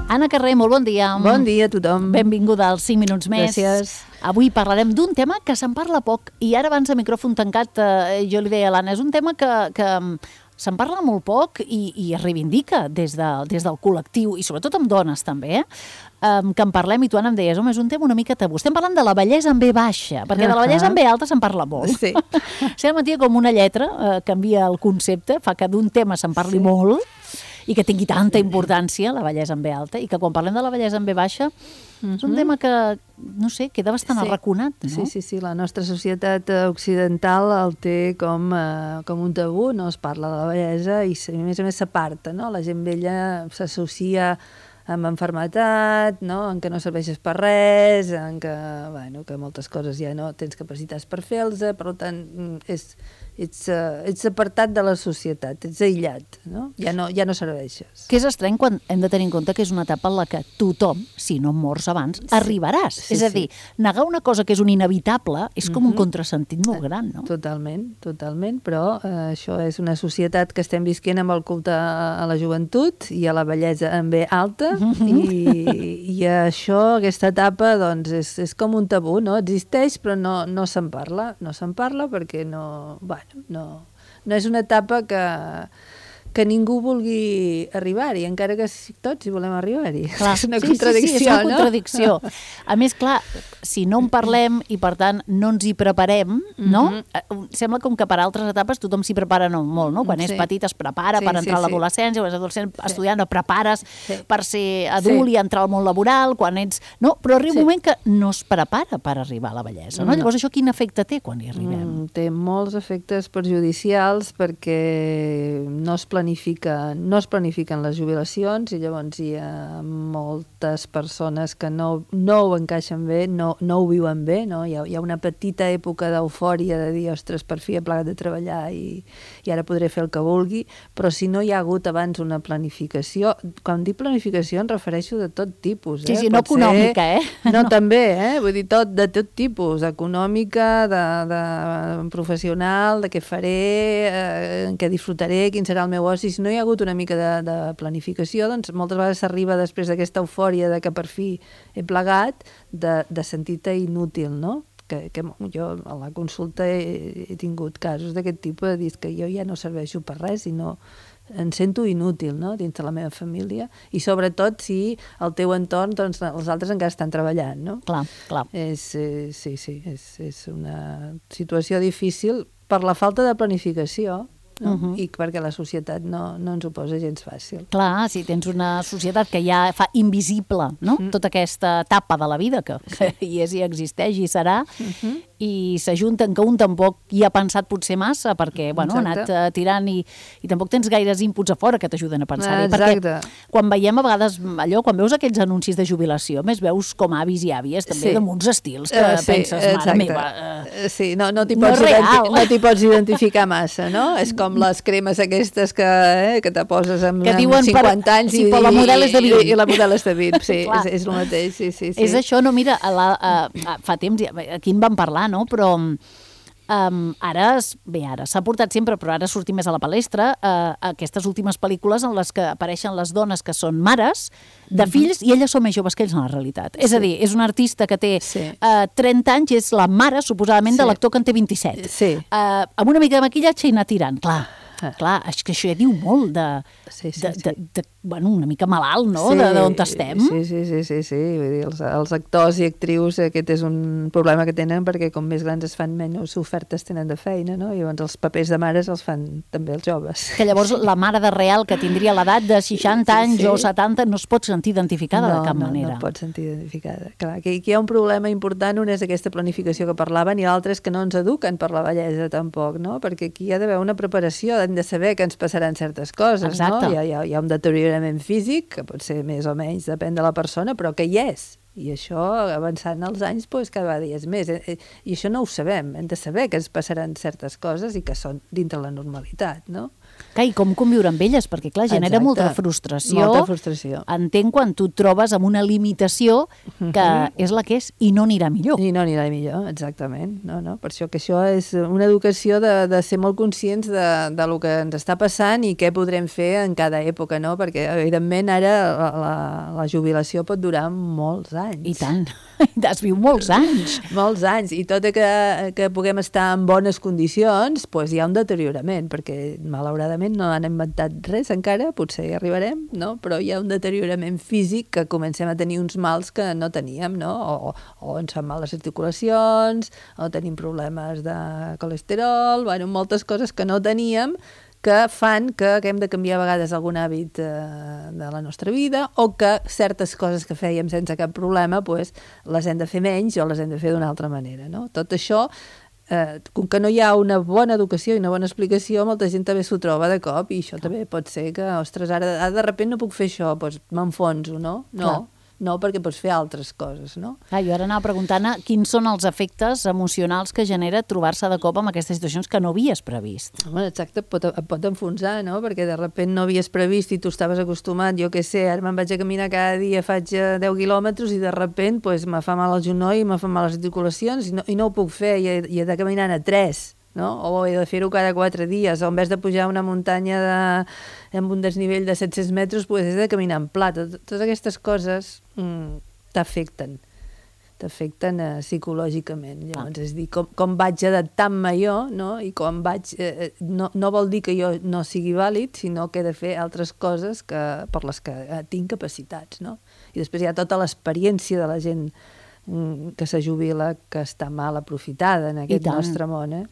Anna Carré, molt bon dia. Bon dia a tothom. Benvinguda als 5 minuts més. Gràcies. Avui parlarem d'un tema que se'n parla poc i ara abans de micròfon tancat jo li deia a l'Anna, és un tema que se'n parla molt poc i es reivindica des del col·lectiu i sobretot amb dones també, que en parlem i tu, Anna, em deies, home, és un tema una mica tabú. Estem parlant de la bellesa en B baixa, perquè de la bellesa en B alta se'n parla molt. Sí. Sembla com una lletra, canvia el concepte, fa que d'un tema se'n parli molt i que tingui tanta importància, la bellesa en B alta, i que quan parlem de la bellesa en B baixa és un tema que, no sé, queda bastant arraconat, no? Sí, la nostra societat occidental el té com un tabú, no es parla de la bellesa i a més s'aparta, no? La gent vella s'associa amb enfermetat, no? En què no serveixes per res, en què, bueno, que moltes coses ja no tens capacitats per fer-los, per tant, ets apartat de la societat, ets aïllat, no? Ja no serveixes. Que és estrany quan hem de tenir en compte que és una etapa en la que tothom, si no mors abans, arribaràs. És a dir, negar una cosa que és un inevitable és com un contrasentit molt gran, no? Totalment, però això és una societat que estem visquent amb el culte a la joventut i a la bellesa en B alta i això, aquesta etapa, doncs, és com un tabú, no? Existeix, però no se'n parla. No se'n parla perquè no és una etapa que ningú vulgui arribar-hi, encara que tots hi volem arribar-hi. Clar, és una contradicció, és una contradicció. A més, clar, si no en parlem i, per tant, no ens hi preparem, no? Sembla com que per altres etapes tothom s'hi prepara molt, no? Quan és petit es prepara per entrar a l'adolescència, quan és adolescent estudiant et prepares per ser adult i entrar al món laboral, quan ets... No, però arriba un moment que no es prepara per arribar a la bellesa, no? Llavors, això quin efecte té quan hi arribem? Té molts efectes perjudicials perquè no es planifiquen les jubilacions i llavors hi ha moltes persones que no ho encaixen bé, no ho viuen bé, no? Hi ha una petita època d'eufòria de dir, ostres, per fi he plegat de treballar i ara podré fer el que vulgui, però si no hi ha hagut abans una planificació, quan dic planificació em refereixo de tot tipus. Sí, no econòmica, No, també, vull dir, de tot tipus, econòmica, de professional, de què faré, què disfrutaré, quin serà el meu oci. Si no hi ha hagut una mica de planificació, doncs moltes vegades s'arriba després d'aquesta eufòria de que per fi he plegat, de sentir-te inútil, no? Que jo a la consulta he tingut casos d'aquest tipus, de dir que jo ja no serveixo per res i no em sento inútil, no?, dins de la meva família, i sobretot si al teu entorn, doncs, els altres encara estan treballant, no? Clar. És una situació difícil per la falta de planificació, no? I perquè la societat no ens ho posa gens fàcil. Clar, si tens una societat que ja fa invisible, no?, tota aquesta etapa de la vida que hi és i existeix i serà, i s'ajunten que un tampoc hi ha pensat potser massa perquè, bueno, ha anat tirant i tampoc tens gaires inputs a fora que t'ajuden a pensar-hi. Perquè quan veiem a vegades allò, quan veus aquells anuncis de jubilació, més veus com avis i àvies també amb uns estils que penses, mare meva... Sí, no t'hi pots identificar massa, no? És com les cremes aquestes que te poses amb 50 anys i la model és de 20. I la model és de 20, sí, és el mateix, sí. És això, no, mira, fa temps, aquí en vam parlar, no? Però ara s'ha portat sempre, però ara sortim més a la palestra, aquestes últimes pel·lícules en les que apareixen les dones que són mares de fills i elles són més joves que ells en la realitat. És a dir, és una artista que té 30 anys i és la mare, suposadament, de l'actor que en té 27. Amb una mica de maquillatge i anar tirant, clar, és que això ja diu molt bueno, una mica malalt, no?, d'on estem. Sí. Vull dir, els actors i actrius, aquest és un problema que tenen perquè com més grans es fan, menys ofertes tenen de feina, no? I llavors els papers de mares els fan també els joves. Que llavors la mare de real que tindria l'edat de 60 anys o 70 no es pot sentir identificada de cap manera. No pot sentir identificada. Clar, aquí hi ha un problema important, un és aquesta planificació que parlaven i l'altre és que no ens eduquen per la bellesa tampoc, no? Perquè aquí hi ha d'haver una preparació, hem de saber que ens passaran certes coses, no? Hi ha un deteriorament físic, que pot ser més o menys, depèn de la persona, però que hi és. I això, avançant els anys, cada vegada hi és més. I això no ho sabem. Hem de saber que ens passaran certes coses i que són dintre la normalitat, no? I com conviure amb elles, perquè clar, genera molta frustració. Molta frustració. Entenc quan tu et trobes amb una limitació que és la que és i no anirà millor. I no anirà millor, exactament. No. Per això que això és una educació de ser molt conscients de lo que ens està passant i què podrem fer en cada època, no? Perquè, evidentment, ara la jubilació pot durar molts anys. I tant. Es viu molts anys. Molts anys. I tot i que puguem estar en bones condicions, doncs hi ha un deteriorament, perquè malauradament no han inventat res encara, potser hi arribarem, no? Però hi ha un deteriorament físic que comencem a tenir uns mals que no teníem, no? O ens fan mal les articulacions, o tenim problemes de colesterol, bueno, moltes coses que no teníem, que fan que hem de canviar a vegades algun hàbit de la nostra vida o que certes coses que fèiem sense cap problema pues, les hem de fer menys o les hem de fer d'una altra manera. No? Tot això, com que no hi ha una bona educació i una bona explicació, molta gent també s'ho troba de cop i això també pot ser que, ostres, ara de sobte no puc fer això, doncs m'enfonso, no? No, perquè pots fer altres coses, no? Jo ara anava preguntant quins són els efectes emocionals que genera trobar-se de cop amb aquestes situacions que no havies previst. Home, exacte, et pot enfonsar, no? Perquè de sobte no havies previst i tu estaves acostumat, jo què sé, ara me'n vaig a caminar cada dia, faig 10 quilòmetres i de sobte pues, me fa mal el genoll, me fan mal les articulacions i no ho puc fer, i he de caminar a 3. No? O he de fer-ho cada 4 dies, o en vez de pujar una muntanya amb un desnivell de 700 metres, pues, he de caminar en pla. Totes aquestes coses t'afecten psicològicament. Llavors, és dir, com vaig adaptant-me jo, no? I com vaig... no vol dir que jo no sigui vàlid, sinó que he de fer altres coses per les que tinc capacitats, no? I després hi ha tota l'experiència de la gent que se jubila, que està mal aprofitada en aquest nostre món,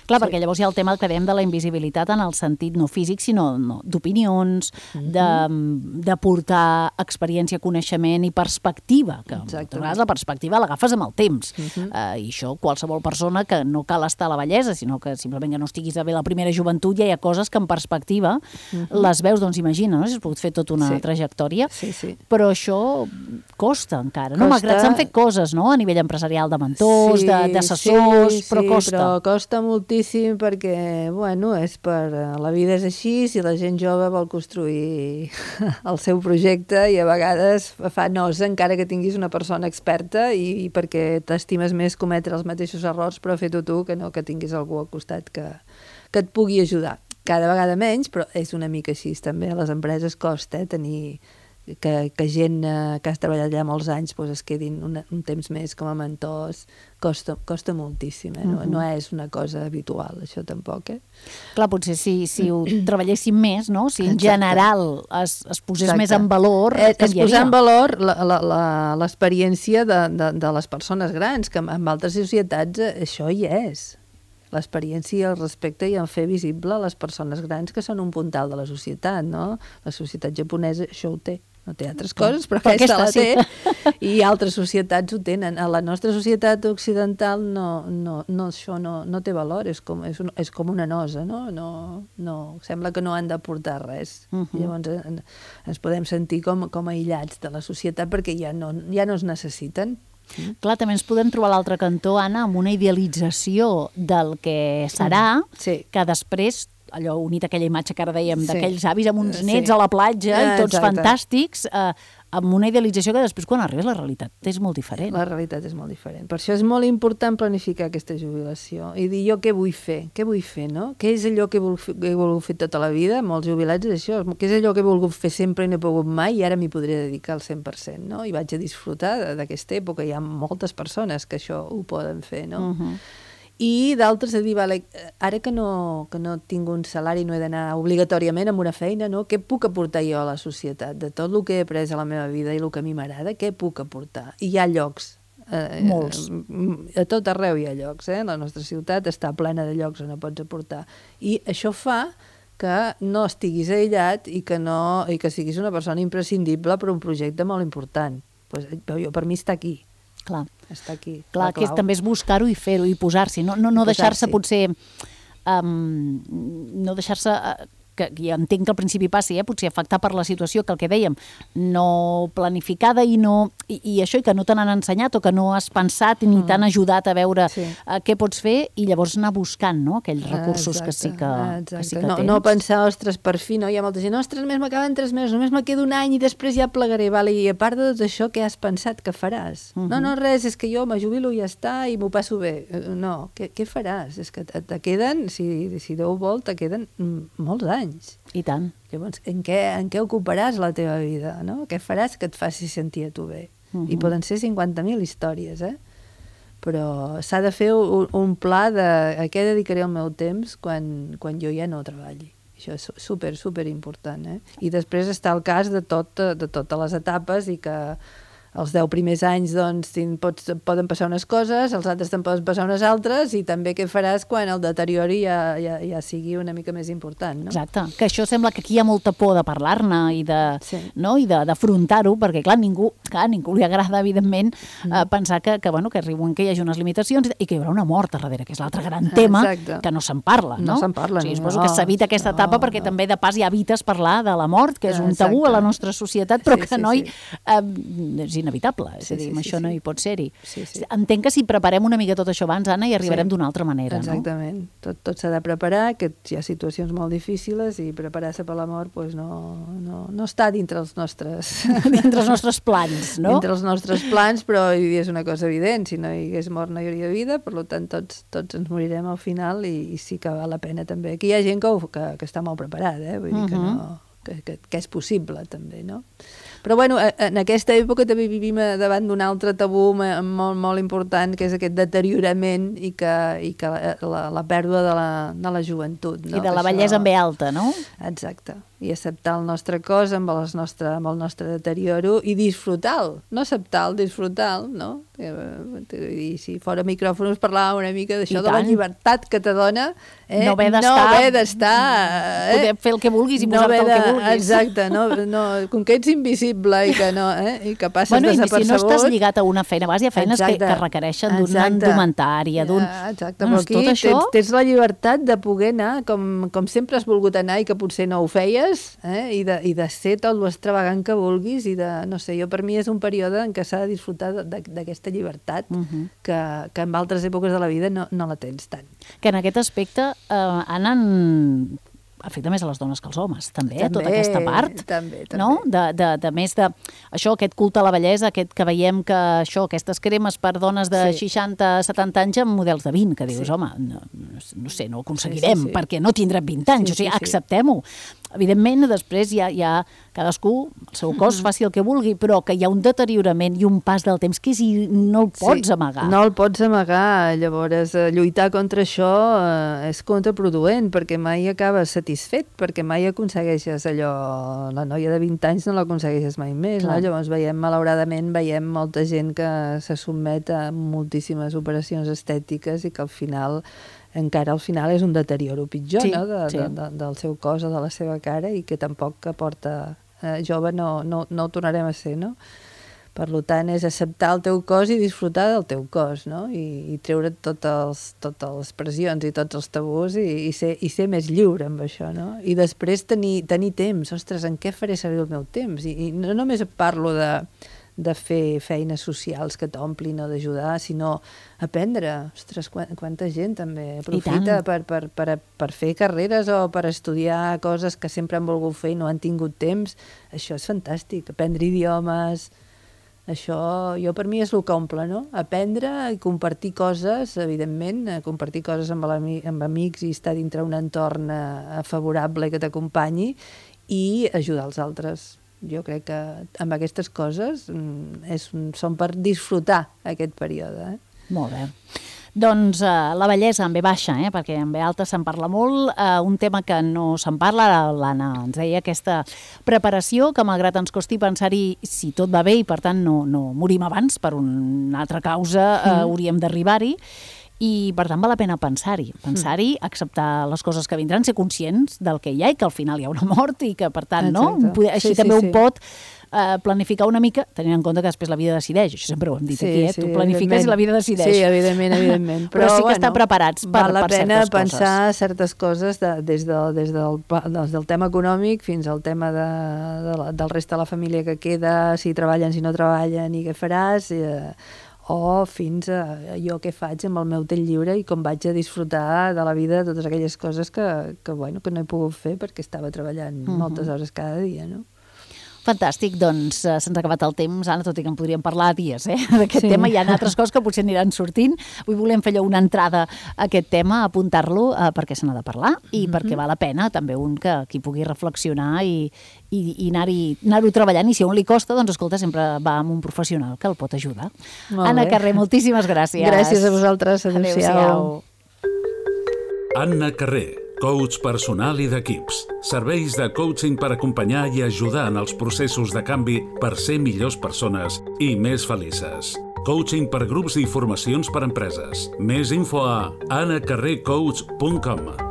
Clar, perquè llavors hi ha el tema que dèiem de la invisibilitat en el sentit no físic, sinó d'opinions, de portar experiència, coneixement i perspectiva, que moltes vegades la perspectiva l'agafes amb el temps. I això, qualsevol persona que no cal estar a la vellesa, sinó que simplement que no estiguis a bé la primera joventut, ja hi ha coses que en perspectiva les veus, doncs imagina, no? Si has pogut fer tota una trajectòria, però això costa encara, no? Malgrat s'han fet coses, no? A nivell empresarial, de mentors, d'assessors, però costa. Però costa moltíssim perquè, bueno, la vida és així, si la gent jove vol construir el seu projecte i a vegades fa nosa encara que tinguis una persona experta i perquè t'estimes més cometre els mateixos errors però fer-ho tu que no que tinguis algú al costat que et pugui ajudar. Cada vegada menys, però és una mica així també. A les empreses costa tenir que gent que has treballat allà molts anys es quedin un temps més com a mentors. Costa moltíssim, no és una cosa habitual, això tampoc. Clar, potser si ho treballéssim més, no? Si en general es posés més en valor, canviaria. Es posar en valor l'experiència de les persones grans, que en altres societats això hi és. L'experiència i el respecte i en fer visible les persones grans que són un puntal de la societat, no? La societat japonesa això ho té. No té altres coses, però aquesta la té. I altres societats ho tenen. A la nostra societat occidental això no té valor, és com una nosa, no? Sembla que no han d'aportar res. Llavors ens podem sentir com aïllats de la societat perquè ja no es necessiten. Clar, també ens podem trobar a l'altre cantó, Anna, amb una idealització del que serà, que després, allò unit a aquella imatge que ara dèiem, d'aquells avis amb uns nets a la platja i tots fantàstics, amb una idealització que després, quan arribes, la realitat és molt diferent. La realitat és molt diferent. Per això és molt important planificar aquesta jubilació i dir jo què vull fer, no? Què és allò que he volgut fer tota la vida? Molts jubilats és això. Què és allò que he volgut fer sempre i no he pogut mai i ara m'hi podré dedicar al 100%, no? I vaig a disfrutar d'aquesta època. Hi ha moltes persones que això ho poden fer, no? I d'altres a dir, vale, ara que no tinc un salari, no he d'anar obligatòriament amb una feina, no? Què puc aportar jo a la societat? De tot el que he après a la meva vida i el que a mi m'agrada, què puc aportar? I hi ha llocs. Molts. A tot arreu hi ha llocs, La nostra ciutat està plena de llocs on pots aportar. I això fa que no estiguis aïllat i que siguis una persona imprescindible per un projecte molt important. Per mi està aquí. Clar. Està aquí. Clar, que també és buscar-ho i fer-ho i posar-s'hi, no deixar-se potser no deixar-se que ja entenc que al principi passi, potser afectar per la situació que el que dèiem, no planificada i això, i que no te n'han ensenyat o que no has pensat ni t'han ajudat a veure què pots fer i llavors anar buscant, no?, aquells recursos que sí que tens. No pensar, ostres, per fi, no? Hi ha molta gent, ostres, només m'acaben 3 mesos, només me queda un any i després ja plegaré, vale? I a part de tot això, què has pensat que faràs? No, res, és que jo me jubilo i ja està i m'ho passo bé. No, què faràs? És que te queden, si Déu vol, te queden molts anys. I tant. Llavors, en què ocuparàs la teva vida, no? Què faràs que et faci sentir a tu bé? I poden ser 50.000 històries, però s'ha de fer un pla de a què dedicaré el meu temps quan jo ja no treballi. Això és super important, I després està el cas de totes les etapes i que els 10 primers anys doncs, poden passar unes coses, els altres te'n poden passar unes altres i també què faràs quan el deteriori ja sigui una mica més important, no? Exacte, que això sembla que aquí hi ha molta por de parlar-ne i d'afrontar-ho, perquè clar, ningú li agrada, evidentment, pensar que arriben, que hi hagi unes limitacions i que hi haurà una mort a darrere, que és l'altre gran tema que no se'n parla, no? No se'n parla, sí, suposo que s'evita aquesta etapa perquè també de pas ja evites parlar de la mort, que és un tabú a la nostra societat, però que és inevitable, és a dir, això no hi pot ser-hi. Entenc que si preparem una mica tot això abans, Anna, hi arribarem d'una altra manera, no? Exactament. Tot s'ha de preparar, que hi ha situacions molt difícils i preparar-se per la mort no està dintre els nostres... dintre els nostres plans, no? Dintre els nostres plans, però és una cosa evident. Si no hi hagués mort no hi hauria vida, per tant tots ens morirem al final i sí que val la pena també. Aquí hi ha gent que està molt preparada, vull dir que és possible també, no? Però bueno, en aquesta època també vivim davant d'un altre tabú molt, molt important, que és aquest deteriorament i que la pèrdua de la joventut. No? I de la bellesa en B alta, no? Exacte. I acceptar el nostre cos amb el nostre deterioro i disfrutar-lo. No acceptar-lo, disfrutar-lo, no? I si fora micròfons parlàvem una mica d'això, de la llibertat que te dona, no haver d'estar... Poder fer el que vulguis i posar-te el que vulguis. Exacte, com que ets invisible i que que passes desapercebut... I si no estàs lligat a una feina, hi ha feines que requereixen d'una indumentària, Exacte, però aquí tens la llibertat de poder anar com sempre has volgut anar i que potser no ho feies, i de ser tot l'extravagant que vulguis i de, no sé, per mi és un període en què s'ha de disfrutar d'aquesta llibertat que en altres èpoques de la vida no la tens tant. Que en aquest aspecte, Anna, afecta més a les dones que als homes, també tota aquesta part, també. No? De més de això, aquest culte a la bellesa, aquest que veiem que aquestes cremes per dones de 60-70 anys amb models de 20, que dius, home, no sé, no ho aconseguirem, perquè no tindrem 20 anys, o sigui, acceptem-ho. Evidentment, després ja cadascú, el seu cos, faci el que vulgui, però que hi ha un deteriorament i un pas del temps que no el pots amagar. No el pots amagar, llavors lluitar contra això és contraproduent, perquè mai acabes satisfet, perquè mai aconsegueixes allò, la noia de 20 anys no l'aconsegueixes mai més, no? Llavors malauradament veiem molta gent que se sotmet a moltíssimes operacions estètiques i que al final és un deterioro pitjor, del seu cos o de la seva cara i que tampoc aporta jove no ho tornarem a ser, no? Per tant, és acceptar el teu cos i disfrutar del teu cos, no? I treure't totes les pressions i tots els tabús i ser més lliure amb això, no? I després tenir temps, ostres, en què faré servir el meu temps? I no només parlo de fer feines socials que t'omplin o d'ajudar, sinó aprendre. Ostres, quanta gent també aprofita per fer carreres o per estudiar coses que sempre han volgut fer i no han tingut temps. Això és fantàstic, aprendre idiomes. Això, per mi, és el que omple, no? Aprendre i compartir coses, evidentment, compartir coses amb amics i estar dintre un entorn favorable que t'acompanyi i ajudar els altres. Jo crec que amb aquestes coses són per disfrutar aquest període. Molt bé. Doncs la bellesa en B baixa, perquè en B alta se'n parla molt, un tema que no se'n parla, l'Anna ens deia aquesta preparació, que malgrat ens costi pensar-hi si tot va bé i per tant no morim abans per una altra causa, hauríem d'arribar-hi, i per tant val la pena pensar-hi, acceptar les coses que vindran, ser conscients del que hi ha i que al final hi ha una mort i que per tant, així també un pot planificar una mica, tenint en compte que després la vida decideix, això sempre ho hem dit aquí, tu planifiques i la vida decideix. Sí, evidentment. Però sí que estar preparats per certes coses. Val la pena pensar certes coses des del tema econòmic fins al tema del reste de la família que queda, si treballen, si no treballen i què faràs, o fins a jo què faig amb el meu temps lliure i com vaig a disfrutar de la vida, de totes aquelles coses que no he pogut fer perquè estava treballant moltes hores cada dia, no? Fantàstic, doncs se'ns ha acabat el temps, Anna, tot i que en podríem parlar dies d'aquest tema. Hi ha altres coses que potser aniran sortint. Avui volem fer una entrada a aquest tema, apuntar-lo perquè se n'ha de parlar i perquè val la pena també que pugui reflexionar i anar-ho treballant. I si a un li costa, doncs escolta, sempre va amb un professional que el pot ajudar. Anna Carré, moltíssimes gràcies. Gràcies a vosaltres. Adéu-siau. Anna Carré, coach personal i d'equips. Serveis de coaching per acompanyar i ajudar en els processos de canvi per ser millors persones i més felices. Coaching per grups i formacions per empreses. Més info a annacarrecoach.com.